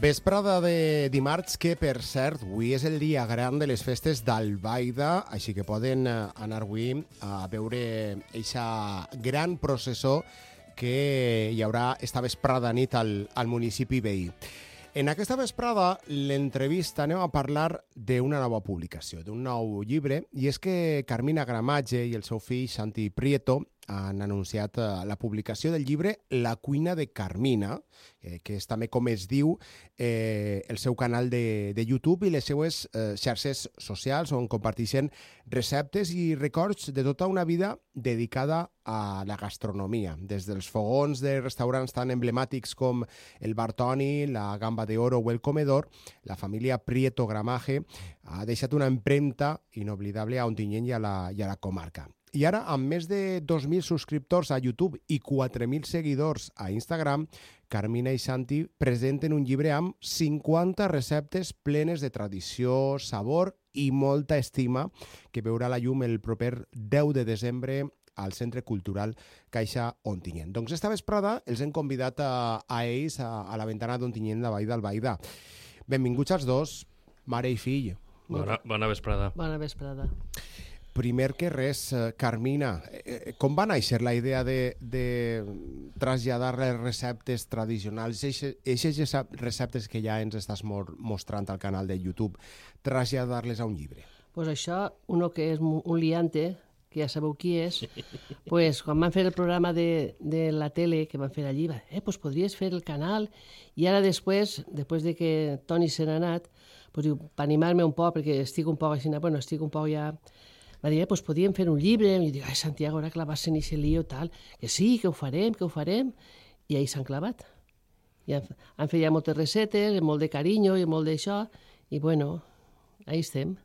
Vesprada de dimarts, que per cert, avui és el dia gran de les festes d'Albaida, així que poden anar avui a veure aquesta gran processó que hi haurà esta vesprada nit al municipi veí. En aquesta vesprada, l'entrevista, anem a parlar d'una nova publicació, d'un nou llibre, i és que Carmina Gramatge i el seu fill Santi Prieto han anunciat la publicació del llibre La cuina de Carmina, que és també com es diu el seu canal de YouTube i les seues xarxes socials, on comparteixen receptes i records de tota una vida dedicada a la gastronomia, des dels fogons de restaurants tan emblemàtics com el Bartoni, la Gamba de Oro o el Comedor. La família Prieto Gramaje ha deixat una empremta inoblidable a Ontinyent i a la comarca. I ara, amb més de 2.000 subscriptors a YouTube i 4.000 seguidors a Instagram, Carmina i Santi presenten un llibre amb 50 receptes plenes de tradició, sabor i molta estima, que veurà la llum el proper 10 de desembre al Centre Cultural Caixa Ontinyent. Doncs esta vesprada els hem convidat a ells a la ventana d'Ontinyent de Vall d'Albaida. Benvinguts els dos, mare i fill. Bona vesprada. Bona vesprada. Primer que res, Carmina, com va néixer la idea de traslladar les receptes tradicionals, aquestes receptes que ja ens estàs mostrant al canal de YouTube, traslladar-les a un llibre? Pues això, uno que és un liante, que ja sabeu qui és, pues, quan van fer el programa de la tele, que van fer allí, pues podries fer el canal, i ara després de que Toni se n'ha anat, pues diu, per animar-me un poc, perquè estic un poc així, bueno, estic un poc ja... Va dir, pues podíem fer un llibre, i dic, ai, Santiago, ara clavar-se en aquest lío, tal, que sí, que ho farem, i ahí s'han clavat. I han fet ja moltes recetes, molt de carinyo i molt d'això, i bueno, ahí estem.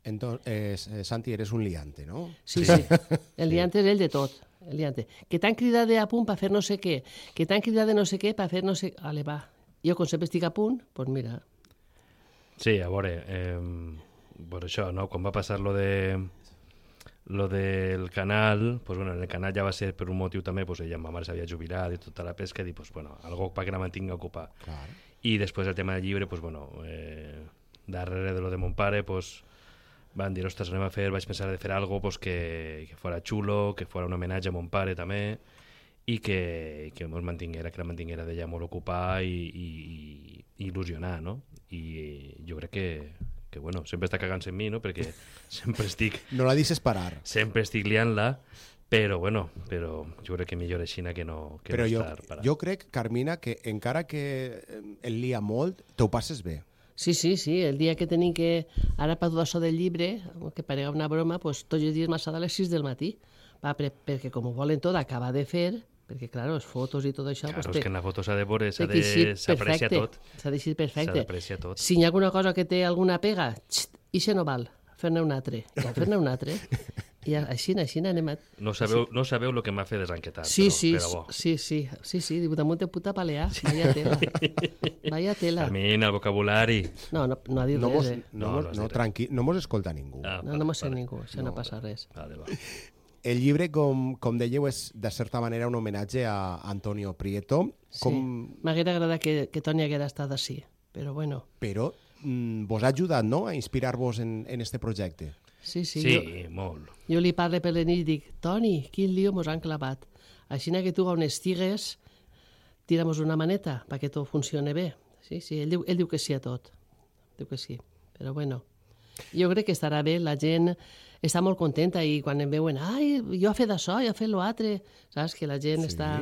Entonces, Santi, eres un liante, ¿no? Sí. El liante és ell de tot, el liante. Que t'han cridat a punt per fer no sé què, que t'han cridat de no sé què per fer no sé... Ale, va. Jo, com sempre estic a punt, doncs mira. Sí, a veure, per això, no? Quan va passar lo del canal, pues bueno, en el canal ja va ser per un motiu també, pues ella, ma mare s'havia jubilat i tota la pesca, i pues bueno, algo para que la mantinga ocupada. Claro. I després el tema del llibre, pues bueno, darrere de lo de mon pare, pues van dir, ostres, vaig pensar de fer algo pues, que fora xulo, que fora un homenatge a mon pare també, i que la mantinguera d'ella molt ocupada i il·lusionar, no? I jo crec que bueno, sempre està cagant-se en mi, no? Perquè sempre estic... No la deixes parar. Sempre estic liant-la, però jo crec que millor així que no estar parat. Jo crec, Carmina, que encara que el lia molt, t'ho passes bé. Sí, el dia que tenim que... Ara per tot això del llibre, que parega una broma, pues, tots els dies m'ha a les 6 del matí, perquè com ho volen tot acabar de fer, perquè, clar, les fotos i tot això... Claro, pues, és que en la foto s'ha de veure, s'aprecia tot. S'ha de ser perfecte. S'ha d'apreciar tot. Si hi ha alguna cosa que té alguna pega, ixe no val, fer-ne un altre. Ja, fer-ne un altre. I així anem a... No sabeu el que m'ha fet desenquetar, però bo. Sí, damunt de puta palear, vaya tela. A mi, el vocabulari... No ha dit res, Tranquil, no mos escolta ningú. No mos sent ningú, això no passa res. Vale. El llibre, com dèieu, és de certa manera un homenatge a Antonio Prieto. Sí, m'haguera agradat que Toni haguera estat així, però bueno. Però vos ha ajudat, no?, a inspirar-vos en este projecte. Sí, molt. Jo li parlo per la nit i dic, Toni, quin lío mos han clavat. Així que tu on estigues, tira'mos una maneta perquè tot funcione bé. Sí, ell diu que sí a tot. Diu que sí, però bueno. Jo crec que estarà bé, la gent està molt contenta i quan em veuen, ai, jo he fet això, jo he fet l'altre, saps? Que la gent està...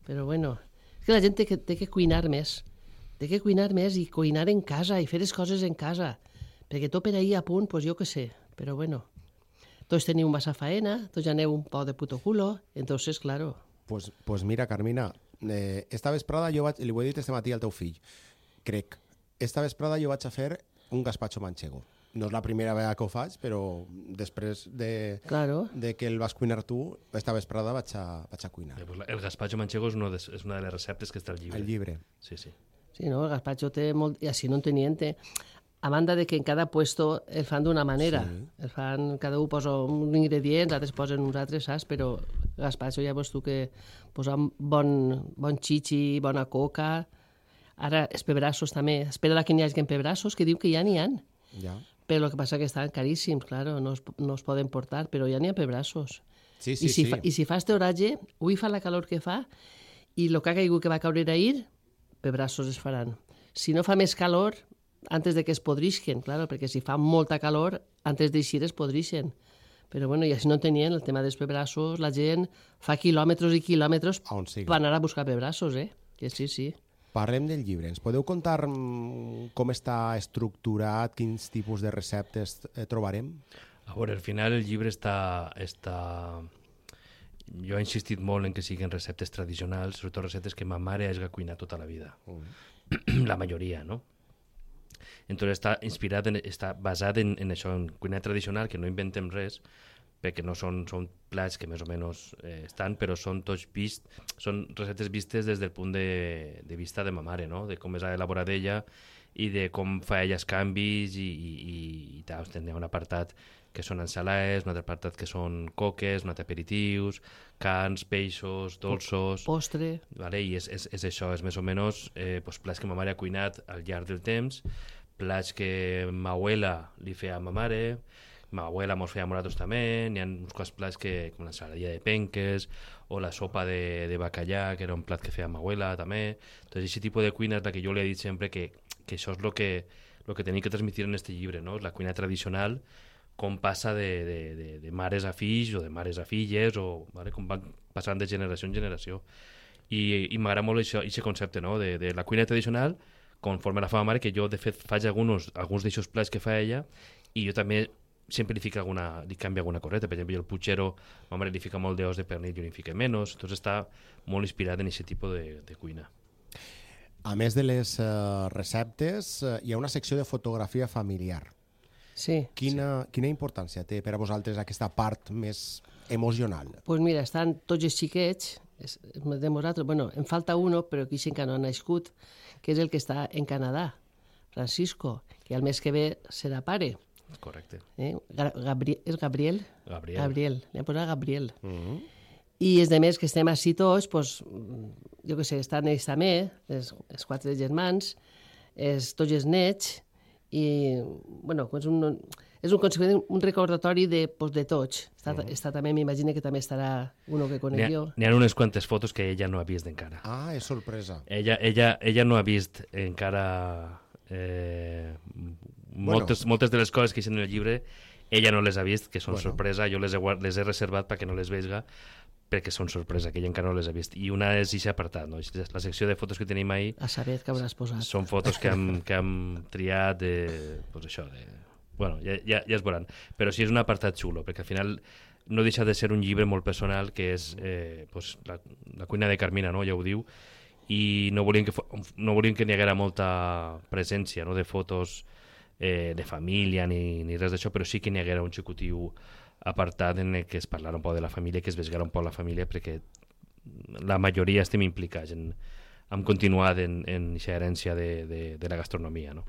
Però bueno, és que la gent té que cuinar més. Té que cuinar més i cuinar en casa i fer les coses en casa. Perquè tot per ahir a punt, doncs jo què sé. Però bueno, tots teniu massa faena, tots aneu un poc de puto culo, entonces, claro. Pues mira, Carmina, esta vesprada li ho he dit este matí al teu fill, crec, esta vesprada jo vaig a fer un gazpacho manchego. No és la primera vegada que ho faig, però després de que el vas cuinar tu, esta vesprada vaig a cuinar. El gazpacho manchego és una de les receptes que està al llibre. El llibre. Sí. Sí, no, el gazpacho té molt... I així no en teniente. A banda de que en cada puesto el fan d'una manera. El fan, cada un posa un ingredient, altres posen uns altres, saps? Però gazpacho ja veus tu que posa bon xixi, bona coca, Ara, els pebrassos també. Espera que n'hi hagi pebrassos, que diu que ja n'hi ha. Ja. Però el que passa que estan caríssims, claro, no es poden portar, però ja n'hi ha pebrassos. Sí, I si fa este oratge, avui fa la calor que fa, i el que ha caigut que va caure ahir, pebrassos es faran. Si no fa més calor, antes de que es podrixen, claro, perquè si fa molta calor, antes d'eixir es podrixen. Però bueno, ja si no tenien el tema dels pebrassos, la gent fa quilòmetres i quilòmetres per anar a buscar pebrassos, Que sí, sí. Parlem del llibre. Ens podeu contar com està estructurat, quins tipus de receptes trobarem? A veure, al final el llibre està... Jo he insistit molt en que siguin receptes tradicionals, sobretot receptes que ma mare hagi cuinat tota la vida. La majoria, no? Entonces està basat en això, en cuina tradicional, que no inventem res, perquè no són plats que més o menys estan, però són tots són receptes vistes des del punt de vista de ma mare, no? De com és elaborat ella i de com fa ella els canvis i tal. Hi ha un apartat que són ensalades, un altre apartat que són coques, un altre aperitius, carns, peixos, dolços... Postre... Vale? I és això, és més o menys plats que ma mare ha cuinat al llarg del temps, plats que ma abuela li feia a ma mare, ma abuela mos feia a nosaltres també, n'hi ha uns quants plats com l'ensaladilla de penques o la sopa de bacallà, que era un plat que feia ma abuela també. Entonces, aquest tipus de cuina és la que jo li he dit sempre que això és el que tenim que transmitir en este llibre, no? La cuina tradicional, com passa de mares a fills o de mares a filles, o vale? Com van passant de generació en generació. I m'agrada molt aquest concepte, no? De la cuina tradicional, conforme la fa ma mare, que jo de fet faig alguns d'aixòs plats que fa ella, i jo també sempre li canvia alguna coseta. Per exemple, jo el puchero, ma mare li fica molt d'os de pernil, jo li fica menys, doncs està molt inspirat en aquest tipus de cuina. A més de les receptes, hi ha una secció de fotografia familiar. Sí. Quina importància té per a vosaltres aquesta part més emocional? Pues mira, estan tots els xiquets, de nosaltres, bueno, em falta uno, però que encara no ha nascut, que és el que està en Canadà, Francisco, que el mes que ve serà pare. Correcte. És Gabriel? Gabriel. Li hem posat Gabriel. I els demés que estem així tots, pues, jo què sé, estan ells també, els 4 germans, tots els nets, i bueno, és un recordatori de tots. Està també, m'imagino que també estarà uno que conec jo. N'hi ha unes quantes fotos que ella no ha vist encara. Ah, és sorpresa. Ella no ha vist encara moltes de les coses que hi en el llibre, ella no les ha vist, que són sorpresa. Jo les he reservat perquè no les vegi, perquè són sorpresa, que ella encara no les ha vist. I una és aquest apartat, no? La secció de fotos que tenim ahir... A saber què hauràs posat. Són fotos que hem triat pues això, bueno, ja es veuran. Però sí és un apartat xulo, perquè al final no deixa de ser un llibre molt personal, que és pues, la cuina de Carmina, no? Ja ho diu, i no volíem que n'hi haguera molta presència, no? De fotos de família ni res d'això, però sí que n'hi haguera un xicotiu apartat en el que es parlarà un poc de la família, que es vegara un poc la família, perquè la majoria estem implicats hem continuat en aquesta herència de la gastronomia, no?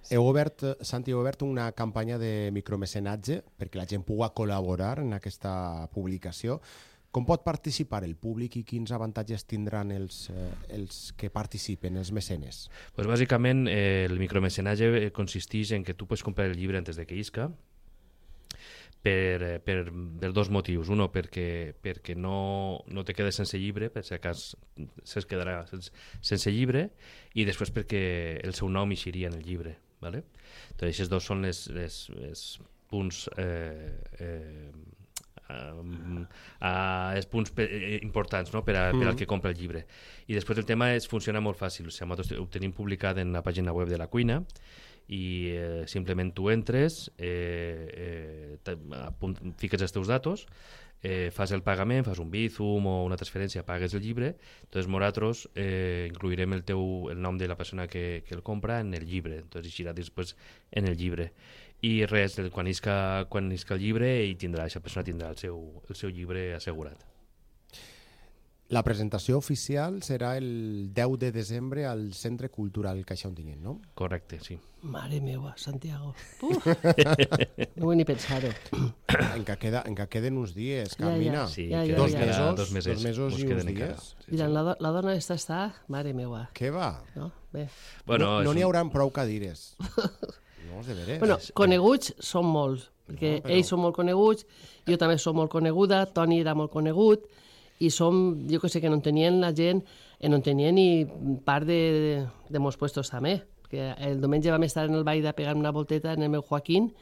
Santi, heu obert una campanya de micromecenatge perquè la gent pugui col·laborar en aquesta publicació. Com pot participar el públic i quins avantatges tindran els que participen, els mecenes? Pues bàsicament el micromecenatge consisteix en que tu pots comprar el llibre antes de que isca, per dos motius. Uno, perquè no te quedes sense llibre, per si acas se'ls quedarà sense llibre, i després perquè el seu nom eixiria en el llibre. ¿Vale? Entonces, aquests dos són els punts importants, no? per al que compra el llibre. I després el tema funciona molt fàcil. O sigui, nosaltres ho tenim publicat en la pàgina web de la cuina, i simplement tu entres, fiques els teus datos, fas el pagament, fas un Bizum o una transferència, pagues el llibre, doncs nosaltres incluirem el nom de la persona que el compra en el llibre, doncs eixirà després en el llibre. I res, quan isca el llibre, aquesta persona tindrà el seu llibre assegurat. La presentació oficial serà el 10 de desembre al Centre Cultural Caixa Ontinyent, no? Correcte, sí. Mare meva, Santiago. No vull ni pensar-ho. Encara queden uns dies, Carmina. Sí, Ja, queden dos ja. mesos, dos mesos, dos mesos mos i queden uns encara. dies. Sí, Mira, sí. la dona esta està... Mare meva. Què va? No? Bé. Bueno, no és n'hi un- haurà prou cadires. No, de veres. Bueno, coneguts són molts, perquè No, però- ells són molt coneguts, jo també sóc molt coneguda, Toni era molt conegut, i som, jo que sé, que no en tenien la gent, no en tenien ni part de molts puestos també, que el diumenge vam estar en el ball de pegar una volteta en el meu Joaquín,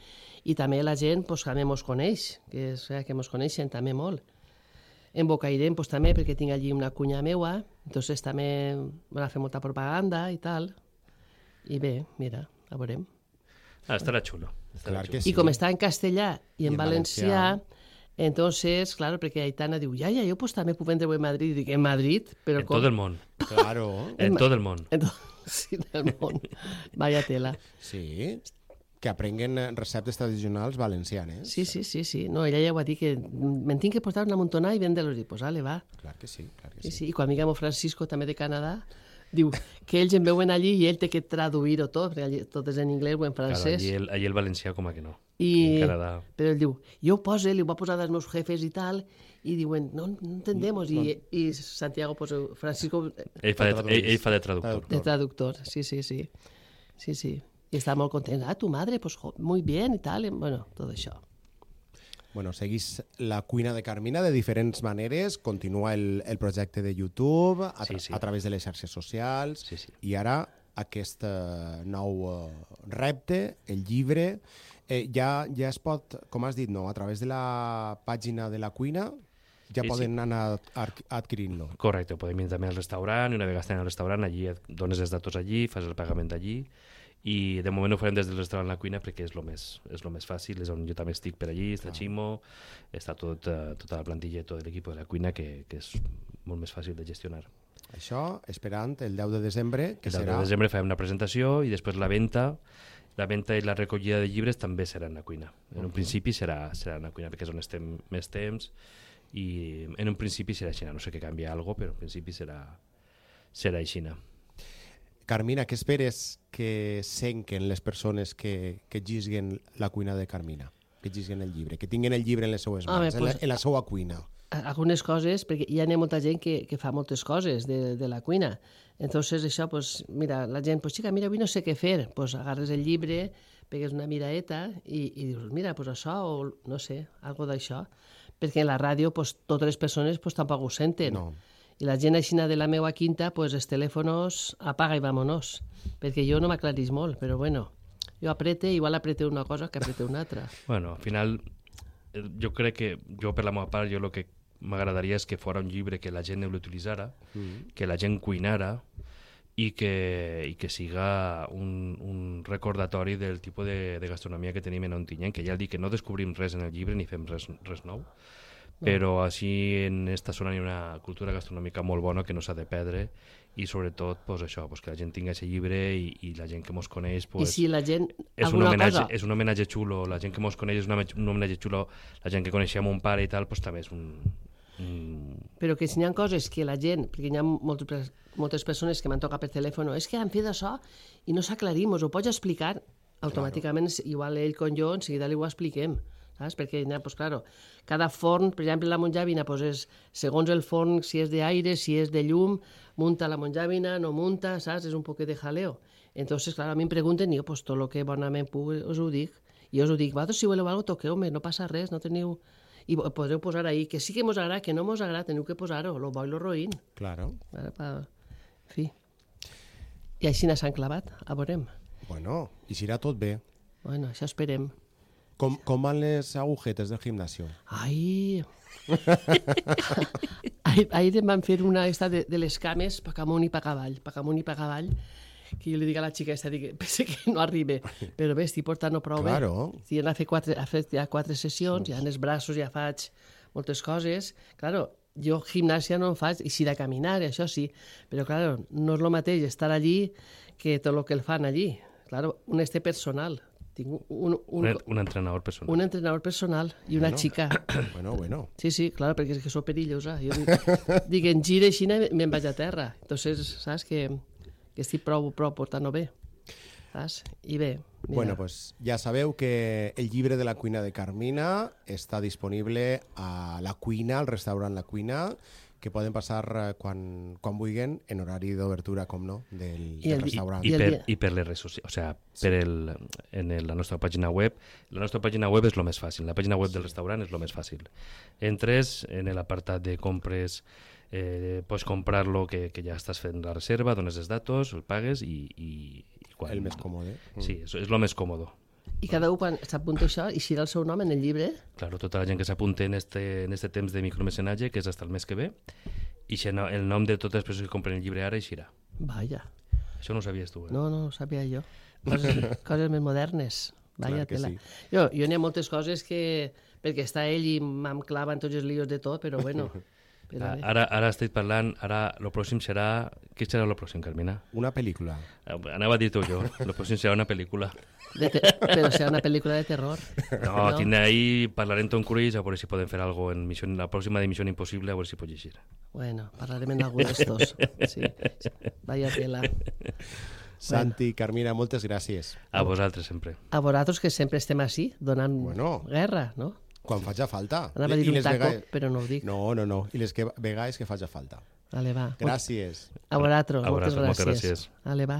i també la gent pues, també mos coneix, que mos coneixen també molt. En Bocairent pues, també, perquè tinc allí una cunya meua, entonces també van a fer molta propaganda i tal, i bé, mira, a veurem. Estarà xulo. Clar que I sí. com està en castellà i en en valencià, valencià. entonces, claro, perquè Aitana diu, ja, jo pues també puc vendre en Madrid. I dic, en Madrid? Però En tot el món. Claro. En tot el món. En tot sí, del món. Vaya tela. Sí. Que aprenguen receptes tradicionals valencianes. Sí, sí, sí, sí. No, ella ja ho va dir, que me'n tinc que portar una montona i vendre-los. I pues, ale, va. Clar que sí, clar que Sí, sí. sí. I quan amiga meu Francisco, també de Canadà, diu que ells em veuen allí i ell té que traduir-ho tot, perquè allí tot és en anglès o en Claro, francès. allí el valencià com a que no. I, En Canadà. però ell diu, jo ho poso, li ho va posar dels meus jefes i tal, i diuen, no entendemos. I Santiago, pues, Francisco, Ell fa de traductor. de traductor, sí, sí, sí. Sí, sí. I està molt content. Ah, tu madre, pues muy bien, i tal. Bueno, tot això. Bueno, seguís la cuina de Carmina de diferents maneres, continua el projecte de YouTube, Sí. a través de les xarxes socials, Sí, sí. i ara aquest nou repte, el llibre, ja es pot, com has dit, no? A través de la pàgina de la cuina ja Sí, poden anar adquirint-lo. Correcte, podem ir també al restaurant i una vegada estem al restaurant, allí et dones els datos allí, fas el pagament allí i de moment ho farem des del restaurant a la cuina perquè és lo més fàcil, és on jo també estic per allí, està Ximo, està tota la plantilla i tot l'equip de la cuina que és molt més fàcil de gestionar. Això esperant el 10 de desembre, que El 10 serà... de desembre farem una presentació i després la venda i la recollida de llibres també serà en la cuina. En un principi serà en la cuina perquè és on estem més temps i en un principi serà així, no sé que canvia alguna cosa, però en principi serà així. Carmina, què esperes que senquen les persones que llisguen la cuina de Carmina? Que llisguen el llibre, que tinguin el llibre en les seues mans, en la seva cuina. Algunes coses, perquè hi ha molta gent que fa moltes coses de la cuina. Entonces, això, pues, mira, la gent, pues, xica, mira, avui no sé què fer. Pues agarres el llibre, pegues una miraeta i dius, mira, pues això, o no sé, algo d'això. Perquè en la ràdio, pues, totes les persones pues, tampoc ho senten. No. I la gent aixina de la meva quinta, pues, els telèfons apaga i vámonos. Perquè jo no m'aclarís molt, però bueno, jo igual aprete una cosa que aprete una altra. Bueno, al final, jo crec que, jo per la meva part, jo el que m'agradaria és que fos un llibre que la gent l'utilitzara, que la gent cuinara i que siga un recordatori del tipus de gastronomia que tenim en Ontinyent, que ja dic que no descobrim res en el llibre ni fem res nou, però així en esta zona hi ha una cultura gastronòmica molt bona que no s'ha de perdre i sobretot pues, això, pues, que la gent tinga aquest llibre i la gent que mos coneix pues, I si la gent... és cosa... és un homenatge xulo, la gent que mos coneix és un homenatge xulo, la gent que coneixia mon pare i tal, pues, també és un... Però que si hi ha coses que la gent, perquè hi ha moltes persones que m'han tocat per telèfon, és que han fet això i no s'aclarim, us ho pots explicar automàticament, igual ell com jo, en seguida li ho expliquem, saps? Perquè, pues, claro, cada forn, per exemple, la monjàvina, pues, és, segons el forn, si és d'aire, si és de llum, munta la monjàvina, no munta, saps? És un poquet de jaleo. Entonces, claro, a mi em pregunten, i jo, pues, tot el que bonament puc, us ho dic. I us ho dic, vosaltres, si voleu alguna cosa, toqueu-me, no passa res, no teniu... I podreu posar ahí, que sí que mos agrada, que no mos agrada, teniu que posar-ho, lo bo i lo roïn. Claro. En fi. I així s'han clavat, a veurem. Bueno, i si irà tot bé. Bueno, això esperem. Com van les agujetes del gimnasio? Ai... Ahir em van fer una esta de les cames, pa amunt i pa avall, que jo li dic a la xica esta, dic, pense que no arriba, però bé, estic portant-ho prou bé. Claro. Sí, ha fet ja 4 sessions, ja en els braços ja faig moltes coses. Claro, jo gimnàsia no en faig, i sí de caminar, això sí, però claro, no és el mateix estar allí que tot el que el fan allí. Claro, un este personal, Tinc Un entrenador personal. un entrenador personal i una xica. Bueno. Sí, claro, perquè és que sóc perillosa. Jo dic, en gira així me'n vaig a terra. Entonces, saps que estic prou portant-ho bé. Saps? I bé, mira. Bueno, pues ja sabeu que el llibre de la cuina de Carmina està disponible a La Cuina, al restaurant La Cuina, que poden passar quan vulguin, en horari d'obertura, com no, del restaurant. I per les redes socials, o sea, la nostra pàgina web. La nostra pàgina web és el més fàcil, la pàgina web del restaurant és el més fàcil. Entres en l'apartat de compres, pots comprar-lo, que ja estàs fent la reserva, dones els datos, el pagues i quan... El més còmode. Sí, és el més còmode. I cada un, quan s'apunta això, eixirà el seu nom en el llibre? Claro, tota la gent que s'apunta en este temps de micromecenatge, que és fins el mes que ve, i el nom de totes les persones que compren el llibre ara eixirà. Vaja. Això no ho sabies tu, eh? No ho sabia jo. Coses més modernes. Vaja, tela. sí. Jo n'hi ha moltes coses que... Perquè està ell i em clava en tots els líos de tot, però bueno... Ara estic parlant, ara el pròxim serà... Què serà el pròxim, Carmina? Una pel·lícula. Anava a dir-ho jo, el pròxim serà una pel·lícula. Però serà una pel·lícula de terror. No, tindré ahí, parlaré amb Tom Cruise, a veure si poden fer alguna cosa en la pròxima de Missió Impossible, a veure si pot llegir. Bueno, parlarem en algun d'estos. Sí. Vaya tela. Santi, Carmina, moltes gràcies. A vosaltres, sempre. A vosaltres, que sempre estem així, donant guerra, no? Quan faci falta. Anava a dir un taco, però no ho dic. No. I les vegades que faci falta. Vale, va. Gràcies. A vosaltres, moltes gràcies. Vale, va.